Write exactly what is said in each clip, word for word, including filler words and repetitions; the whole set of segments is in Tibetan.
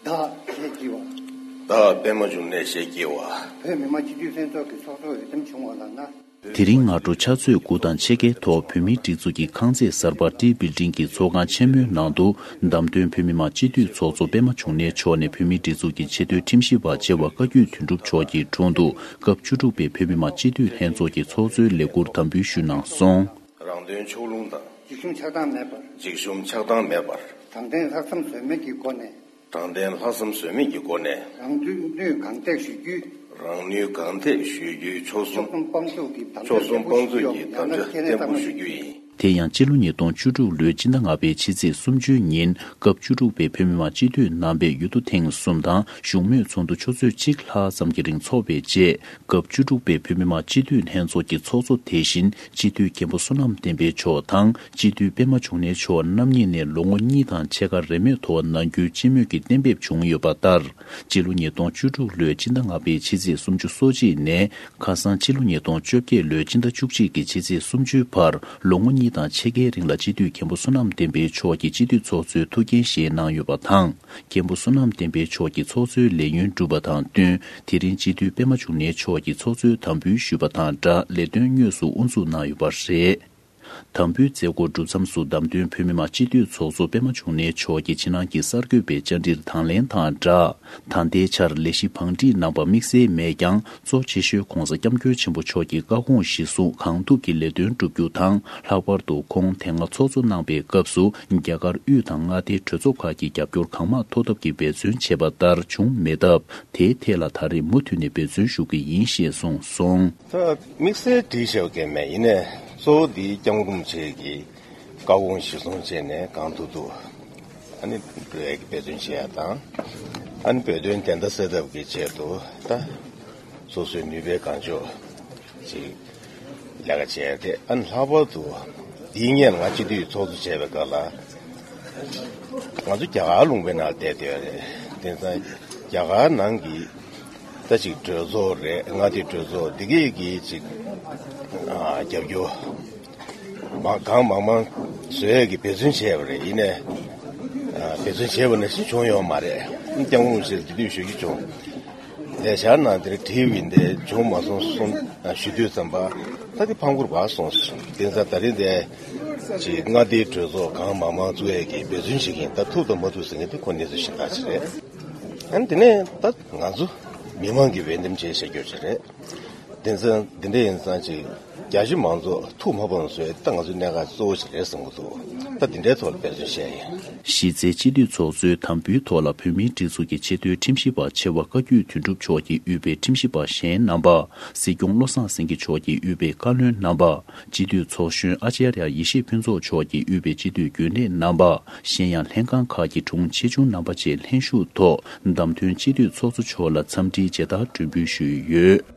བདག་ཞེས་བགྱི་བ། བདག་པད་མ་འབྱུང་གནས་ཞེས་བགྱི་བ། བོད་མི་མང་སྤྱི་འཐུས་ལྷན་ཚོགས་ཀྱི་ཚོགས་གཙོ་འོས་འདེམས་བྱུང་བ་ལགས་ན། དེ་རིང་སྔ་དྲོ་ཕྱག་ཚོད་དགུ་དང་ཕྱེད་ཀའི་ཐོག་བོད་མིའི་སྒྲིག་འཛུགས་ཀྱི་ཁང་བརྩེགས་གསར་པ་ཏི་བིལ་ཌིང་གི་ཚོགས་ཁང་ཆེན་མོའི་ནང་དུ། བདམས་ཐོན་བོད་མི་མང་སྤྱི་འཐུས་ཚོགས་གཙོ་པད་མ་འབྱུང་གནས་མཆོག་ནས་བོད་མིའི་སྒྲིག་འཛུགས་ཀྱི་ཆེས་མཐོའི་ཁྲིམས་ཞིབ་པ་ཆེ་བ་བཀའ་བརྒྱུད་དོན་གྲུབ་མཆོག་གི་དྲུང་དུ། སྐབས་བཅུ་དྲུག་པའི་བོད་མི་མང་སྤྱི་འཐུས་ལྷན་ཚོགས་ཀྱི་ཚོགས་གཙོའི་ལས་འཁུར་དམ་འབུལ་ཞུས་གནང་སོང་། རང་དོན་ཕྱོགས་ལྷུང་དང་། འཇིགས་ཞུམ་ཆགས་སྡང་མེད་པར། འཇིགས་ཞུམ་ཆགས་སྡང་མེད་པར། དྲང་བདེན་ལྷག་བསམ་ཟོལ་མེད་ཀྱི་སྒོ་ནས། དྲང་བདེན་ལྷག་བསམ་ཟོལ་མེད་ཀྱི་སྒོ་ནས། རང་ནུས་གང་ཐེག་ཞུ་རྒྱུའི། རང་ནུས་གང་ཐེག་ཞུ་རྒྱུའི་ཆོལ་གསུམ། ཆོལ་གསུམ་དཔང་འཛུགས་ཀྱི་དམ་བཅའ་བརྟན་པོ་ཞུ་རྒྱུ་ཡིན། དེ་ཡང་སྤྱི་ལོ་ཉིས་སྟོང་བཅུ་དྲུག་ལོའི་སྤྱི་ཟླ་ལྔ་པའི་ཕྱི་ཚེས་སུམ་ཅུའི་ཉིན། སྐབས་བཅུ་དྲུག་པའི་བོད་མི་མང་སྤྱི་འཐུས་རྣམ་པས་ཡུལ་དུ་ཐེངས་གསུམ་དང་བཞུགས་མོལ་ཚོགས་འདུ་ཆུ་ཚོད་གཅིག་ལྷག་ཙམ་གྱི་རིང་འཚོགས་པའི་རྗེས། སྐབས་བཅུ་དྲུག་པའི་བོད་མི་མང་སྤྱི་འཐུས་ལྷན་ཚོགས་ཀྱི་ཚོགས་གཙོ་དེ་བཞིན་སྤྱི་འཐུས་མཁན་པོ་བསོད་ནམས་བསྟན་འཕེལ་མཆོག་དང་སྤྱི་འཐུས་པད་མ་འབྱུང་གནས་མཆོག་རྣམ་གཉིས་ནས་ལོ་ངོ་གཉིས་དང་ཕྱེད་ཀ་རེས་མོས་ཐོག་ནང་ཁུལ་སྤྱི་མོས་ཀྱི་གཏན་འབེབས་བྱུང་ཡོད་པ་ལྟར། སྤྱི་ལོ་ཉིས་སྟོང་བཅུ་དྲུག་ལོའི་སྤྱི་ཟླ་ལྔ་པའི་ཕྱི་ཚེས་སུམ་ཅུ་སོ་གཅིག་ནས། ཁ་སང་སྤྱི་ལོ་ཉིས་སྟོང་བཅོ་བརྒྱད་ལོའི་སྤྱི་ཟླ་བཅུ་གཅིག་གི་ཕྱི་ཚེས་སུམ་ཅུའི་བར་ལོ་ངོ་གཉིས་དང་ཕྱེད་ཀའི་རིང་ལ་སྤྱི་འཐུས་མཁན་པོ་བསོད་ནམས་བསྟན་འཕེལ་མཆོག་གིས་སྤྱི་འཐུས་ཚོགས་གཙོའི་ཐུགས་འགན་བཞེས་གནང་ཡོད་པ་དང་། མཁན་པོ་བསོད་ནམས་བསྟན་འཕེལ་མཆོག་གིས་ཚོགས་གཙོའི་ལས་ཡུན་གྲུབ་པ་དང་བསྟུན། དེ་རིང་སྤྱི་འཐུས་པད་མ་འབྱུང་གནས་མཆོག་གིས་ཚོགས་གཙོའི་དམ་འབུལ་ཞུས་པ་དང་སྦྲགས་ལས་དོན་དངོས་སུ་དབུ་འཛུགས་གནང་ཡོད་པ་རེད། དམ་འབུལ་མཛད་སྒོ་གྲུབ་མཚམས་སུ་བདམས་ཐོན་བོད་མི་མང་སྤྱི་འཐུས་ཚོགས་གཙོ་པད་མ་འབྱུང་གནས་མཆོག་གིས་ཕྱི་ནང་གི་གསར་འགོད་པའི་བཅར་འདྲིར་དང་ལེན་དང་སྦྲགས། ད་ལྟའི་ཆར་ལས་གཞི་བང་སྒྲིག་གནང་པ་དམིགས་བསལ་མེད་ཀྱང་། གཙོ་ཆེ་ཤོས་༸གོང་ས་༸སྐྱབས་མགོན་ཆེན་པོ་མཆོག་གི་བཀའ་དགོངས་གཞིར་བཟུང་གང་ཐུབ་ཀྱིས་ལས་དོན་བསྒྲུབ་རྒྱུ་དང་། ལྷག་པར་དུ་ཁོང་དེ་སྔ་ཚོགས་གཙོ་གནང་པའི་སྐབས་སུ། རྒྱ་གར་དབུས་དང་མངའ་སྡེའི་གྲོས་ཚོགས་ཁག་གི་རྒྱབ་སྐྱོར་གང་མང་ཐོབ་ཐབས་ཀྱི་འབད་བརྩོན་བྱས་པ་ལྟར་བྱུང་མེད་སྟབས། དེའི་ཐད་ལ་ད་རེས་མུ་མཐུད་ནས་འབད་བརྩོན་ཞུ་གི་ཡིན་ཞེས་གསུངས་སོང་། ད་དམིགས་བསལ་བྲིས་བཞག་གི་མེད། ཡིན་ནའི་གཙོ་བོ་འདི་༸སྐྱབས་མགོན་རིན་པོ་ཆེ་གི་བཀའ་དགོངས་གཞིར་བཟུང་བྱས་ནས་གང་ཐུབ་ཐུབ་ཨ་ནི་འགྲོ་ཡག་གི་འབད་བརྩོན་བྱེད་ཡག་དང་། ཨ་ནི་བོད་དོན་བདེན་མཐའ་གསལ་ཐབས་ཀྱི་ཆེད་དུ་ད་སོ་སོའི་ནུས་པའི་གང་ལྕོགས་ཅིག་ལས་ཀ་བྱས་ཏེ། ཨ་ནི་ལྷག་པར་དུ་འདིའི་སྔོན་ང་སྤྱི་འཐུས་ཚོགས་གཙོ་བྱས་པའི་སྐབས་ལ། ང་ཚོ་རྒྱ་གར་ལུང་པའི་ནང་བསྡད་བསྡད་ཡོད་རེད། དེ་ཙང་རྒྱ་གར་ནང་གི་ད་ཅིག་གྲོས་ཚོགས་རེད། མངའ་སྡེའི་གྲོས་ཚོགས་འདི་གས་ཀྱི་ཅིག་ཨ་རྒྱབ་སྐྱོར་མ་གང་མང་མང་བཟོ་ཡས་ཀྱི་འབད་བརྩོན་བྱས་པ་རེད། ཡིན་ནའི་ཨ་འབད་བརྩོན་བྱས་པ་ནང་བཞིན་བྱུང་ཡོད་མ་རེད། ཨ་ནི་སྐྱབས་མགོན་རིན་པོ་ཆེ་ལ་འདི་དུས་ཞུ་རྒྱུ་བྱུང་། ལས་འཆར་ནང་དེར་བྲིས་པ་ཡིན་ཏེ་བྱུང་མ་སོང་གསུངས། ཞུ་དུས་ཙམ་པ་ད་དེ་ཕངས་སྐོར་བ་སོང་ཟེར། དེ་ཙང་ད་རིང་དེ་ཅིག་མངའ་སྡེའི་གྲོས་ཚོགས་གང་མང་མང་བཙུགས་ཡས་ཀྱི་འབད་བརྩོན་བྱེད་ཀྱི་ཡིན། ད་ཐུབ་དང་མ་ཐུབ་ཟེར་མཁན་དེ་ཁོ་གནས་ཚུལ་གཞན་དག་ཅིག་རེད། ཨ་ནི་དེ་ནས་ད་ང་ཚོ་མི་མང་གི་འོས་འདེམས་བྱས་བྱ་རྒྱུ་ཅིག་རེད། དེ་ཙང་འདི་འདྲ་ཡིན་ཙང་ཅིག་རྒྱ་ཆེ་མང་ཚོགས་ཐུགས་མ་ཕམ་བཟོ་ཡས་ད་ང་ཚོའི་གནད་འགག་གཙོ་བོ་ཞིག་རེད་བསམ་གྱི་འདུག་ད་འདི་འདྲའི་ཐོག་ལ་འབད་བརྩོན་བྱས་ཡིན། གཞི་རྩའི་སྤྱི་འཐུས་ཚོགས་གཙོའི་དམ་འབུལ་ཐོག་ལ་བོད་མིའི་སྒྲིག་འཛུགས་ཀྱི་ཆེས་མཐོའི་ཁྲིམས་ཞིབ་པ་ཆེ་བ་བཀའ་བརྒྱུད་དོན་གྲུབ་མཆོག་གིས་དབུས་པའི་ཁྲིམས་ཞིབ་པ་གཞན་རྣམ་པ། སྲིད་སྐྱོང་བློ་བཟང་སེང་གེ་མཆོག་གིས་དབུས་པའི་བཀའ་བློན་རྣམ་པ། སྤྱི་འཐུས་ཚོགས་གཞོན་ཨ་ཅཱརྱ་ཡེ་ཤེས་ཕུན་ཚོགས་མཆོག་གིས་དབུས་པའི་སྤྱི་འཐུས་རྒྱུན་ལས་རྣམ་པ། གཞན་ཡང་ལྷན་ཁང་ཁག་གི་དྲུང་ཆེ་ཆུང་རྣམ་པ་བཅས་ལྷན་ཞུགས་ཐོག་བདམས་ཐོན་སྤྱི་འཐུས་ཚོགས་གཙོ་མཆོག་ལ་འཚམས་འདྲིའི་མཇལ་དར་སྒྲོན་འབུལ་ཞུས་ཡོད།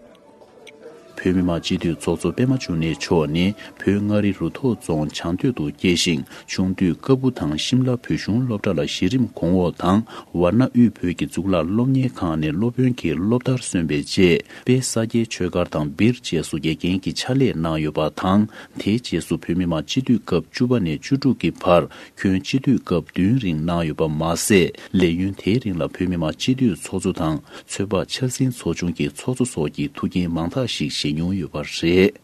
བོད་མི་མང་སྤྱི་འཐུས་ཚོགས་གཙོ་པད་མ་འབྱུང་གནས་མཆོག་ནི་བོད་མངའ་རིས་རུ་ཐོག་རྫོང་བྱང་སྟོད་དུ་སྐྱེས་ཤིང་། ཆུང་དུས་ཀ་སྦུག་དང་ཤིམ་ལ་བོད་གཞུང་སློབ་གྲྭ་ལ་གཞི་རིམ་གོང་འོག་དང་། ཝར་ན་དབུས་བོད་ཀྱི་གཙུག་ལག་སློབ་གཉེར་ཁང་ནས་སློབ་དཔོན་གྱི་སློབ་མཐར་སོན་པའི་རྗེས། དཔལ་ས་སྐྱའི་ཆོས་སྒར་དང་སྦིར་བཅས་སུ་དགེ་རྒན་གྱི་ཕྱག་ལས་གནང་ཡོད་པ་དང་། དེའི་རྗེས་སུ་བོད་མི་མང་སྤྱི་འཐུས་སྐབས་བཅུ་པ་ནས་བཅུ་དྲུག་གི་བར་ཁྱོན་སྤྱི་འཐུས་སྐབས་བདུན་རིང་གནང་ཡོད་པ་མ་ཟད། ལས་ཡུན་དེའི་རིང་ལ་བོད་མི་མང་སྤྱི་འཐུས་ཚོགས་གཙོ་དང་། ཚོད་དཔག་འཆར་ཟིན་ཚོགས་ཆུང་གི་ཚོགས་གཙོ་སོགས་ཀྱི་ཐུགས་འགན་མང་དག་ཞིག་བཞེས་མྱོང་ཡོད་པ་རེད།